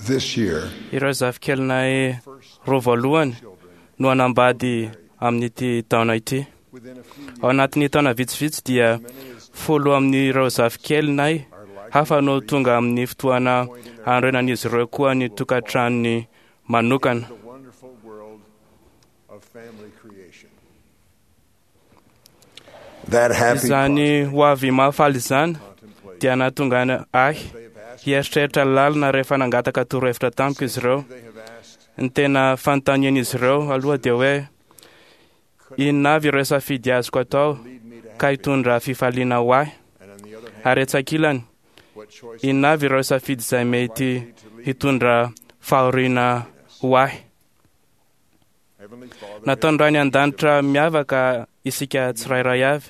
This year, Ireo zafikelinay roa voalohany no hanambady amin'ity taona ity. within a few Ao anatin'ny taona vitsivitsy dia 10 amin'ireo zafikelinay hafa no tonga amin'ny fotoana hanorenan'izy ireo koa ny tokantranony manokana. the wonderful world of family creation. That happy Izany ho avy mahafaly izany contemplation. dia nahatonga ahy They have asked, hieritreritra lalina rehefa nangataka torohevitra tamiko izy ireo. they have asked, Ny tena fanontanian'izy ireo aloha dia hoe inona avy ireo safidy azoko atao lead me to ka hitondra fifaliana ho ahy, and on the other hand, ary etsy ankilany what choice inona avy ireo safidy izay mety hitondra fahoriana ho ahy. Heavenly Father, Nataony Ray any an-danitra miavaka isika tsirairay avy.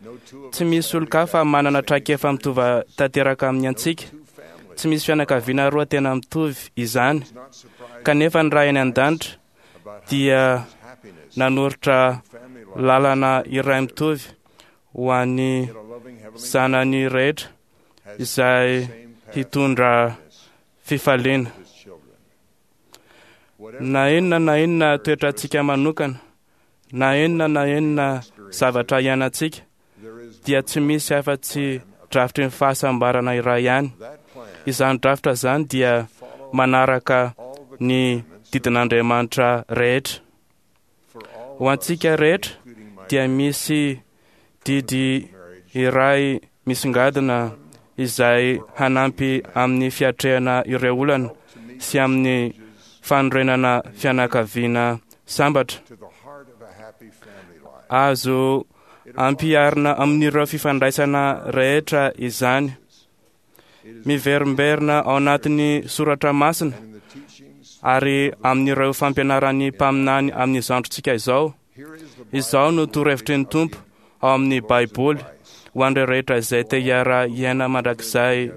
no two of Tsy misy olon-kafa manana traikefa mitovy tanteraka amin'ny antsika. two families Tsy misy fianakaviana roa tena mitovy izany. is not surprised Kanefa ny Ray any an-danitra about how dia happiness nanoritra family life lalana iray mitovy ho an'ny yet a loving heavenly zanany rehetra has izay the same path hitondra fifaliana. to his children. Whatever Na inona na inona toetrantsika manokana, na inona na inona zavatra iainantsika, there is dia tsy misy afa-tsy drafitry ny fahasambarana iray ihany. that plan Izany drafitra izany dia follow manaraka all the ny commandments didin'Andriamanitra rehetra. for all Ho antsika rehetra including my dia misy didy marriage iray misongadina izay hanampy amin'ny fiatrehana ireo olana to meet sy amin'ny fanorenana fianakaviana sambatra. to the heart of a happy family life. Azo ampiharina amin'ireo fifandraisana rehetra izany. It is Miverimberina ao anatin'ny soratra masina and in the teachings ary amin'ireo fampianaran'ny mpaminany amin'izao androntsika izao. here is the Izao no torohevitry ny Tompo ao amin'ny Baiboly ho an'ireo rehetra izay te hiara-hiaina mandrakizay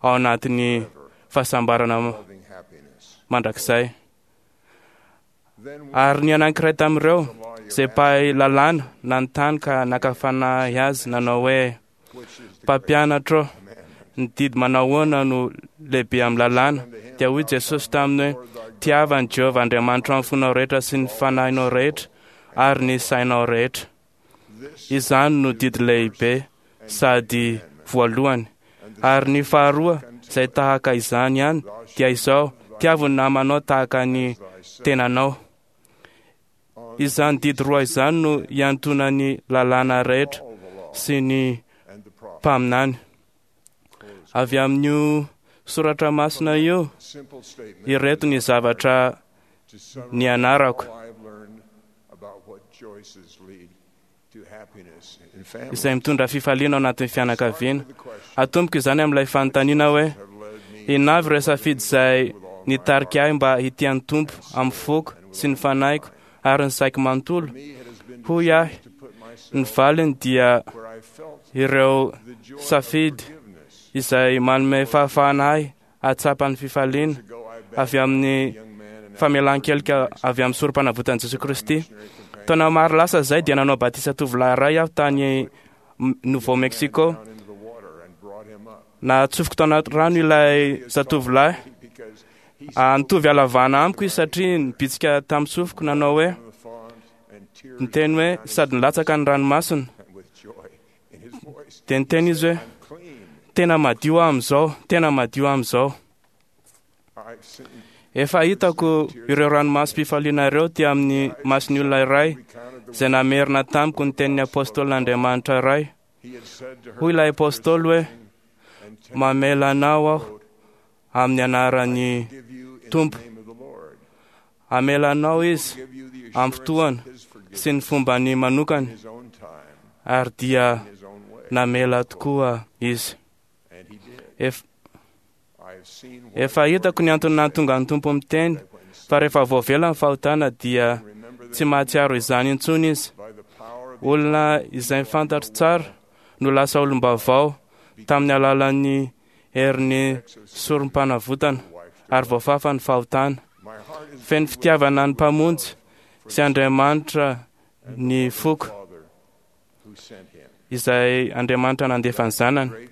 ao anatin'ny fahasambarana loving happiness. mandrakizay. Then Ary ny anankiray tamin'ireo the lawyer izay mpahay lalàna nanontany ka naka fanahy azy nanao hoe which is the great mpampianatro commandment. ny didy manao ahoana no lehibe amin'ny lalàna. Dia hoy Jesosy taminy hoe tiava an'i Jehovah Andriamanitra amin'ny fonao rehetra sy ny fanahinao rehetra ary ny sainao rehetra. This Izany no didy lehibe sady voalohany. and the Ary ny faharoa izay tahaka izany ihany dia izao tiavo ny namanao tahaka ny thyself tenanao. on Izany didy roa izany no iantonan'ny lalàna rehetra all the law sy ny and the prophets. mpaminany. Close. Avy amin'io soratra masina io Simple statement ireto ny zavatra to summarize nianarako all I have learned about what choices lead to happiness in family. izay mitondra fifaliana ao anatin'ny fianakaviana. With the question Atomboko izany amin'ilay fanontaniana hoe have led me inona avy ireo safidy izay nitarika ahy mba hitia ny Tompo amin'ny foko sy ny fanahiko ary ny saiko manontolo. me it has been Hoy ahy to put myself ny valiny dia where I felt ireo the joy of safidy forgiveness. izay manome fahafahana ahy hahatsapa ny fifaliana Ago I baptized avy amin'ny a young man and famelan-kelika avy amin'ny sorom-panavotan'i Jesosy Kristy. missionary companion Taona maro lasa izay dia nanao batisa tovolahy iray aho tany Nouveau Mexico. down into the water and brought him up Natsofoko tao anaty rano ilay zatovolahy. because he Nitovy halavana amiko izy satria nibitsika tamin'ny sofiko nanao hoe on the font and tears niteny hoe sady nilatsaka ny ranomasina. and with joy in his voice. Dia niteny izy hoe I'm clean. tena madio aho amin'izao, tena madio aho amin'izao. I've seen Efa hitako ireo ranomasom-pifaliana ireo ty amin'ny mason'ny olona iray recounted the izay namerina tamiko ny tenin'ny apôstôlin'Andriamanitra iray. he had said to her Hoy ilay apôstôly hoe and mamela anao aho amin'ny anaran'ny give you in Tompo. the name of the Lord. Hamela anao izy Give you the amin'ny assurance fotoana of his forgiveness sy ny fombany manokana in his own time, ary dia in his own way. namela tokoa izy. And he did. Ef- I have seen what Efa hitako ny antony nahatonga ny Tompo miteny when fa rehefa voavela ny fahotana dia remember tsy mahatsiaro izany intsony izy. by the power of the Olona izay fantatro tsara no lasa olom-baovao tamin'ny alalan'ny herin'ny sorom-panavotana ary voafafa ny fahotana. my heart is Feno fitiavana ny Mpamonjy sy Andriamanitra ny foko Father who sent him. izay Andriamanitra nandefa ny zanany. Great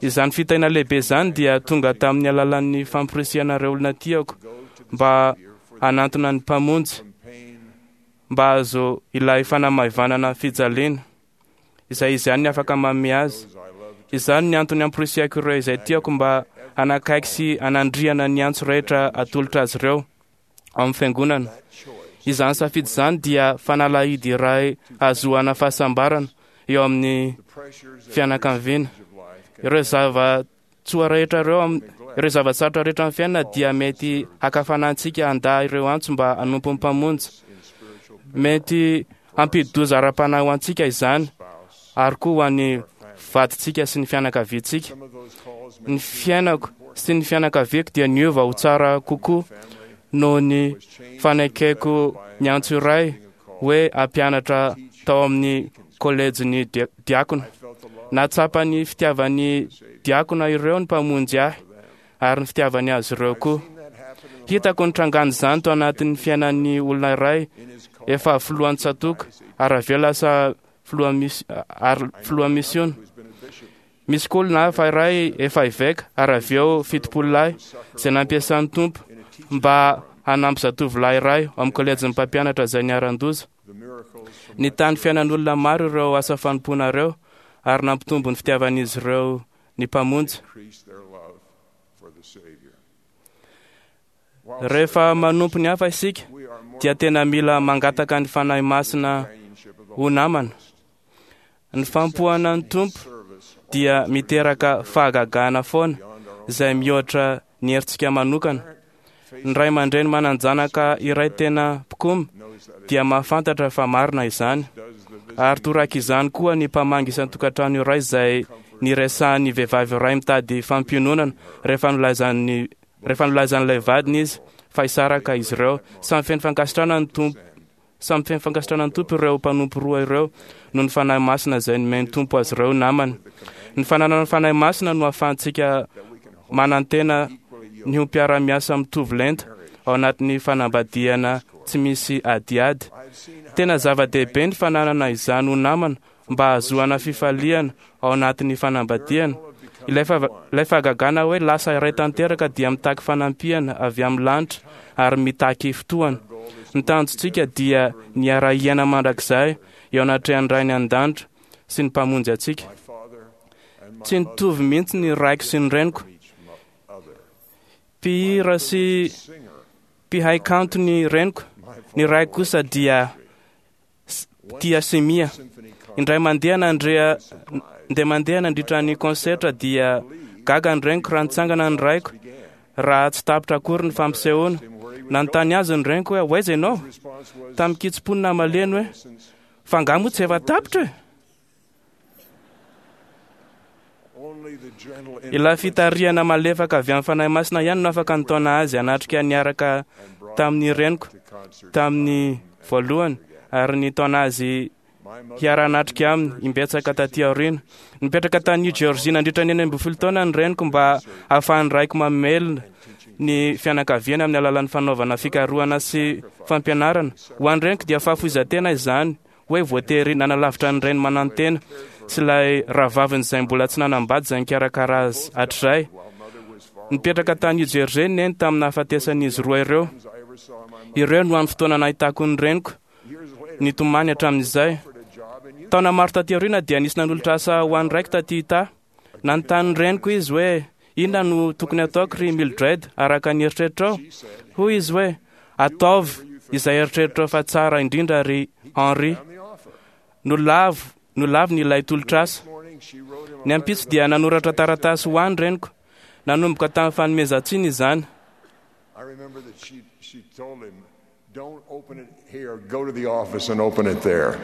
Izany fitahiana lehibe izany dia tonga tamin'ny alalan'ny famporisihana ireo olona tiako mba hanantona ny Mpamonjy, mba hahazo ilay fanamaivanana fijaliana izay izy ihany no afaka manome azy. Izany ny antony amporisihako ireo izay tiako mba hanakaiky sy hanandriana ny antso rehetra atolotra azy ireo ao amin'ny fiangonana. Izany safidy izany dia fanalahidy iray hahazoana fahasambarana eo amin'ny fianakaviana. Ireo zava-tsoa rehetra ireo, ireo zava-tsarotra rehetra amin'ny fiainana dia mety hakafana antsika handà ireo antso mba hanompo ny Mpamonjy. Mety hampidi-doza ara-panahy ho antsika izany, ary koa ho an'ny vadintsika sy ny fianakaviantsika. Ny fiainako sy ny fianakaviako dia niova ho tsara kokoa noho ny fanekeko ny antso iray hoe hampianatra tao amin'ny kolejin'ny diakona. Nahatsapa ny fitiavan'ny diakona ireo ny Mpamonjy ahy ary ny fitiavany azy ireo koa. Hitako ny trangan'izany tao anatin'ny fiainan'ny olona iray efa filohan'ny tsatòka ary avy eo lasa filoha misiona. Misy koa olona hafa iray efa eveka ary avy eo 70 lahy izay nampiasan'ny Tompo mba hanampy zatovolahy iray ao amin'ny kolejin'ny mpampianatra izay niharan-doza. Nitany fiainan'olona maro ireo asa fanompoana ireo ary nampitombo ny fitiavan'izy ireo ny Mpamonjy. Rehefa manompo ny hafa isika dia tena mila mangataka ny Fanahy Masina ho namana. Ny fampohana ny Tompo dia miteraka fahagagana foana izay mihoatra ny herintsika manokana. Ny ray aman-dreny manan-janaka iray tena mpikomy dia mahafantatra fa marina izany. Ary toraka izany koa ny mpamangy isan-tokantrano iray izay niresahan'ny vehivavy iray mitady fampiononana rehefa nolaizan'ilay vadiny izy fa hisaraka izy ireo. Samy feno fankasitrahana ny Tompo. Samy feno fankasitrahana ny Tompo ireo mpanompo roa ireo noho ny Fanahy Masina izay nomen'ny Tompo azy ireo namany. Ny fananana ny Fanahy Masina no ahafahantsika manantena ny ho mpiara-miasa mitovy lenta ao anatin'ny fanambadiana tsy misy adiady. Tena zava-dehibe ny fananana izany ho namana mba hahazoana fifaliana ao anatin'ny fanambadiana. Ilay fahagagana hoe lasa iray tanteraka dia mitaky fanampiana avy amin'ny lanitra ary mitaky fotoana. Ny tanjontsika dia ny hiara-hiaina mandrakizay eo anatrehan'ny Rainy an-danitra sy ny Mpamonjy antsika. Tsy nitovy mihitsy ny raiko sy ny reniko. Mpihira sy mpihay kanto ny reniko. Ny raiko kosa dia tia simia. Indray mandeha mandeha nandritra ny konsertra dia gaga ny reniko raha nitsangana ny raiko raha tsy tapitra akory ny fampisehoana. Nanontany azy ny reniko hoe ho aiza ianao? Tamin'ny kitsim-po namaleny hoe fa angaha moa tsy efa tapitra e? Ilay fitarihana malefaka avy amin'ny Fanahy Masina ihany no afaka nitaona azy hanatrika niaraka tamin'ny reniko tamin'ny voalohany ary nitaona azy hiara-hanatrika aminy imbetsaka taty aoriana. Nipetraka tany New Jersey nandritra ny 16 taona ny reniko mba hahafahan'ny raiko mamelona ny fianakaviany amin'ny alalan'ny fanaovana fikarohana sy fampianarana. Ho an'ny reniko dia fahafoizan-tena izany hoe voatery nanalavitra ny reny manantena sy ilay rahavaviny izay mbola tsy nanambady izay nikarakara azy hatrizay. Nipetraka tany New Jersey neny tamin'ny nahafatesan'izy roa ireo. Ireo no hany fotoana nahitako ny reniko nitomany hatramin'izay. Taona maro taty aoriana dia nisy nanolotra asa ho an'ny raiko taty Utah. Nanontany ny reniko izy hoe inona no tokony ataoko ry Mildred araka ny eritreritrao? Hoy izy hoe ataovy izay eritreritrao fa tsara indrindra ry Henry. Nolaviny ilay tolotr'asa. Ny ampitso dia nanoratra taratasy ho any reniko. Nanomboka tamin'ny fanomezan-tsiny izany.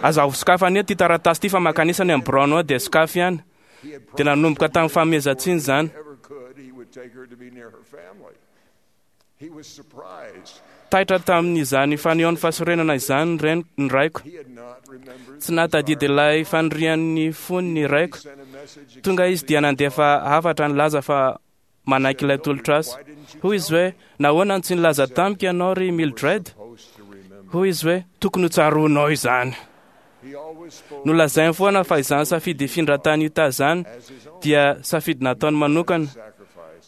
Aza sokafana eto ity taratasy ity fa mankanesa any amin'ny biraonao ao dia sokafy ihany. Dia nanomboka tamin'ny fanomezan-tsiny izany. Taitra tamin'izany fanehoan'ny fahasorenana izany ny raiko. Tsy nahatadidy ilay fanirian'ny fony ny raiko. Tonga izy dia nandefa hafatra nilaza fa manaiky ilay tolotr'asa. Hoy izy hoe nahoana no tsy nilaza tamiko ianao ry Mildred? Hoy izy hoe tokony ho tsaroanao izany. Nolazainy foana fa izany safidy hifindra tany Utah izany dia safidy nataony manokana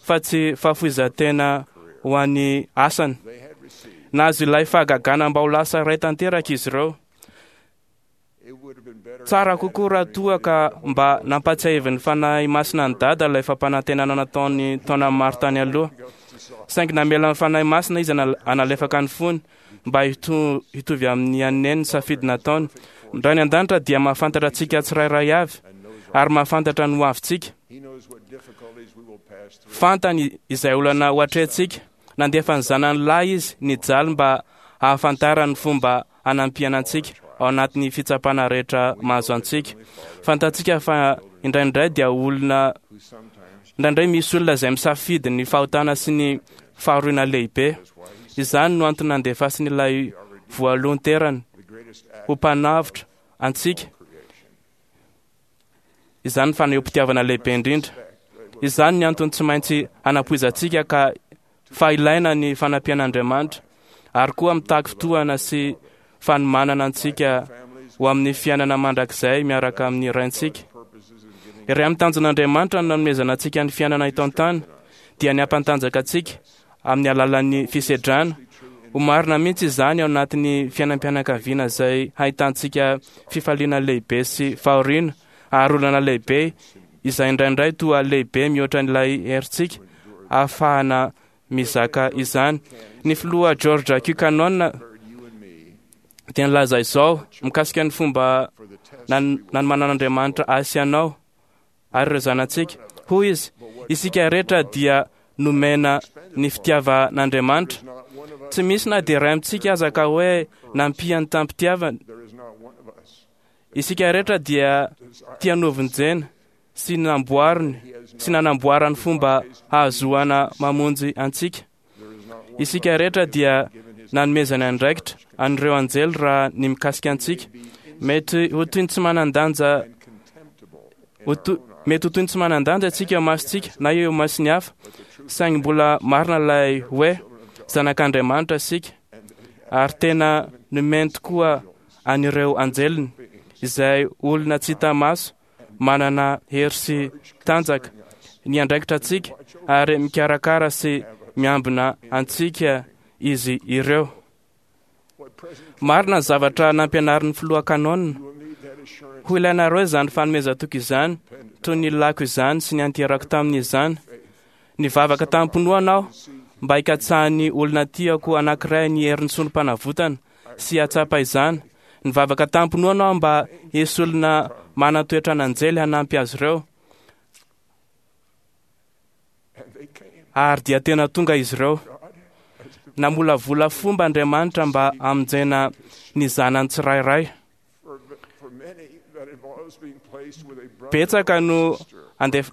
fa tsy fahafoizan-tena ho an'ny asany. Nahazo ilay fahagagana mba ho lasa iray tanteraka izy ireo. Tsara kokoa raha toa ka mba nampatsiahivin'ny Fanahy Masina an'i Dada ilay fampanantenana nataony taona maro tany aloha. Saingy namela ny Fanahy Masina izy hanalefaka ny fony mba hitovy amin'ny an'i Neny ny safidy nataony. Ny Ray any An-danitra dia mahafantatra antsika tsirairay avy ary mahafantatra ny hoavintsika. Fantany izay olana ho atrehintsika. Nandefa ny Zanany lahy Izy nijaly mba hahafantarany ny fomba hanampiana antsika ao anatin'ny fitsapana rehetra mahazo antsika. Fantatsika fa indraindray dia olona indraindray misy olona izay misafidy ny fahotana sy ny fahoriana lehibe. Izany no antony nandefasiny ilay voalohan-terany ho mpanavotra antsika. Izany ny fanehoam-pitiavana lehibe indrindra. Izany ny antony tsy maintsy hanapoizantsika ka fa ilaina ny fanampian'Andriamanitra ary koa mitaky fotoana sy fanomanana antsika ho amin'ny fiainana mandrakizay miaraka amin'ny Raintsika. Iray amin'ny tanjon'Andriamanitra ny nanomezana antsika ny fiainana eto an-tany dia ny hampantanjaka antsika amin'ny alalan'ny fisedrana. Ho marina mihitsy izany ao anatin'ny fiainam-pianakaviana izay hahitantsika fifaliana lehibe sy fahoriana ary olana lehibe izay indraindray toa lehibe mihoatra an'ilay herintsika ahafahana mizaka izany. Ny filoha George Q. Cannon dia nilaza izao mikasika ny fomba nanomanan'Andriamanitra ahy sy anao ary ireo zanatsika. Hoy izy, isika rehetra dia nomena ny fitiavan'Andriamanitra. Tsy misy na dia iray amintsika aza ka hoe nampiany tamim-pitiavana. Isika rehetra dia tia novonjena sy namboariny sy nanamboarany fomba hahazoana mamonjy antsika. Isika rehetra dia nanomezany andraikitra an'ireo anjely raha ny mikasika antsika. Mety ho toy ny tsy manan-danja mety ho toy ny tsy manan-danja isika eo masontsika na eo mason'ny hafa, saingy mbola marina ilay hoe zanak'Andriamanitra isika ary tena nomeny tokoa an'ireo anjeliny izay olona tsy hita maso manana hery sy tanjaka ny andraikitra antsika ary mikarakara sy miambina antsika izy ireo. Marina ny zavatra nampianarin'ny filoha Cannon. Ho ilainareo izany fanomezan-toky izany, toy ny lako izany sy ny anterako tamin'izany. Nivavaka tamim-pinoana aho mba hikatsahan'ny olona tiako anankiray ny herin'ny solom-panavotana sy hahatsapa izany. Nivavaka tamim-pinoana aho mba hisy olona manan-toetra an'anjely hanampy azy ireo. Ary dia tena tonga izy ireo. Namolavola fomba Andriamanitra mba hamonjena ny zanany tsirairay. Betsaka no andef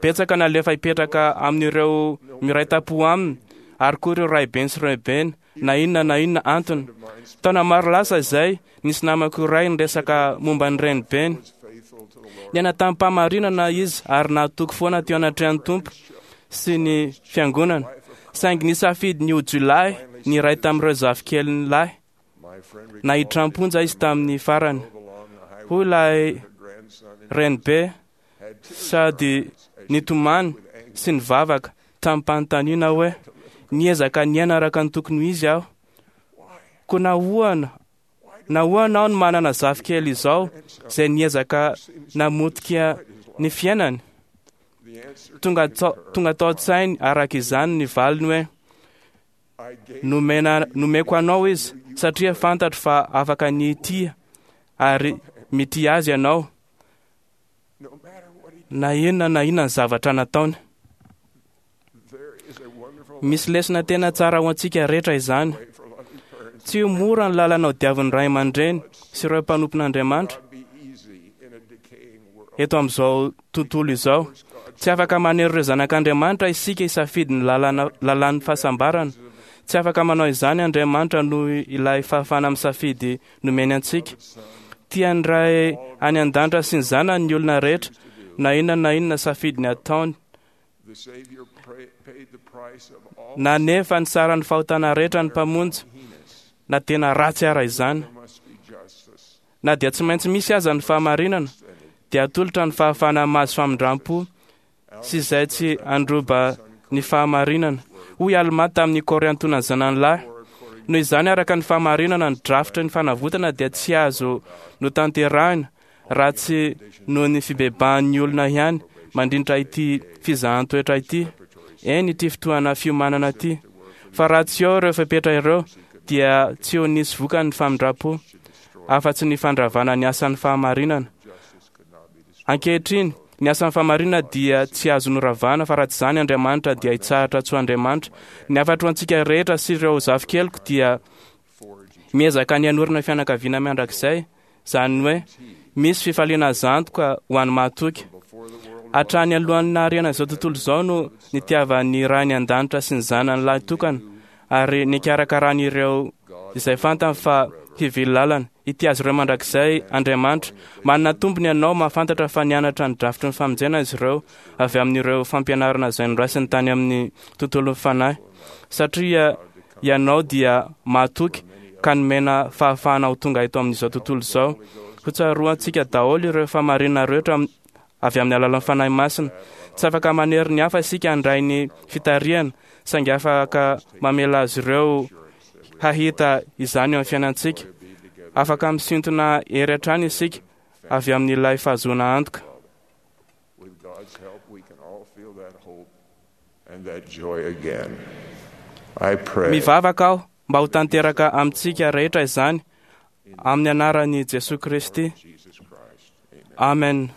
betsaka no alefa hipetraka amin'ireo miray tampo aminy ary koa ireo raibeny sy renibeny na inona na inona antony. Taona maro lasa izay, nisy namako iray niresaka momba ny renibeny. Niaina tamim-pahamarinana izy ary nahatoky foana teo anatrehan'ny Tompo sy ny fiangonana. Saingy nisafidy ny ho jiolahy ny iray tamin'ireo zafikeliny lahy. Naiditra am-ponja izy tamin'ny farany. Hoy ilay renibe sady nitomany sy nivavaka tamim-panontaniana hoe, Niezaka niaina araka ny tokony ho izy aho. Koa nahoana nahoana aho no manana zafikely izao izay niezaka namotika ny fiainany? Tonga tonga tao an-tsainy araka izany ny valiny hoe, Nomena nomeko anao izy satria fantatro fa afaka ny hitia ary mitia azy ianao na inona na inona ny zavatra nataony. Misy lesona tena tsara ho antsika rehetra izany. Tsy ho mora ny lalana hodiavin'ny ray aman-dreny sy ireo mpanompon'Andriamanitra eto amin'izao tontolo izao. Tsy afaka manery ireo zanak'Andriamanitra isika hisafidy ny lalana lalàn'ny fahasambarana. Tsy afaka manao izany Andriamanitra noho ilay fahafahana misafidy nomeny antsika. Tian'ny Ray any an-danitra sy ny Zanany ny olona rehetra, na inona na inona safidiny ataony. Nanefa ny saran'ny fahotana rehetra ny Mpamonjy, na tena ratsy ara izany. Na dia tsy maintsy misy aza ny fahamarinana, dia atolotra ny fahafahana mahazo famindram-po sy izay tsy handroba ny fahamarinana. Hoy Almà tamin'ny Kôriantona zanany lahy, noho izany araka ny fahamarinana ny drafitry ny fanavotana dia tsy azo notanterahina raha tsy noho ny fibebahan'ny olona ihany mandritra ity fizahan-toetra ity, eny ity fotoana fiomanana ity. Fa raha tsy eo ireo fepetra ireo dia tsy ho nisy vokany ny famindram-po, afa-tsy ny fandravana ny asan'ny fahamarinana. Ankehitriny, ny asan'ny fahamarinana dia tsy azo noravana, fa raha tsy izany Andriamanitra dia hitsahatra tsy ho Andriamanitra. Ny hafatro ho antsika rehetra sy ireo zafikeliko dia miezaka ny hanorina fianakaviana mandrakizay, izany hoe misy fifaliana azo antoka ho an'ny mahatoky. Hatrany alohan'ny nahariana izao tontolo izao no nitiavan'ny Rainy an-danitra sy ny Zanany lahy tokana ary nikarakarany ireo izay fantany fa hivily lalana. Hitia azy ireo mandrakizay Andriamanitra. Manana tombony ianao mahafantatra fa nianatra ny drafitry ny famonjena izy ireo avy amin'ireo fampianarana izay noraisiny tany amin'ny tontolon'ny fanahy. Satria ianao dia mahatoky ka nomena fahafahana ho tonga eto amin'izao tontolo izao. Hotsaroantsika daholo ireo fahamarinana rehetra avy amin'ny alalan'ny Fanahy Masina. Tsy afaka manery ny hafa isika handray ny fitarihana, saingy afaka mamela azy ireo hahita izany eo amin'ny fiainantsika. Afaka misintona hery hatrany isika avy amin'ilay fahazoana antoka. With God's help, we can all feel that hope and that joy again. I pray. Mivavaka aho mba ho tanteraka amintsika rehetra izany amin'ny anaran'i Jesoa Kristy. Jesus Christ. Amen.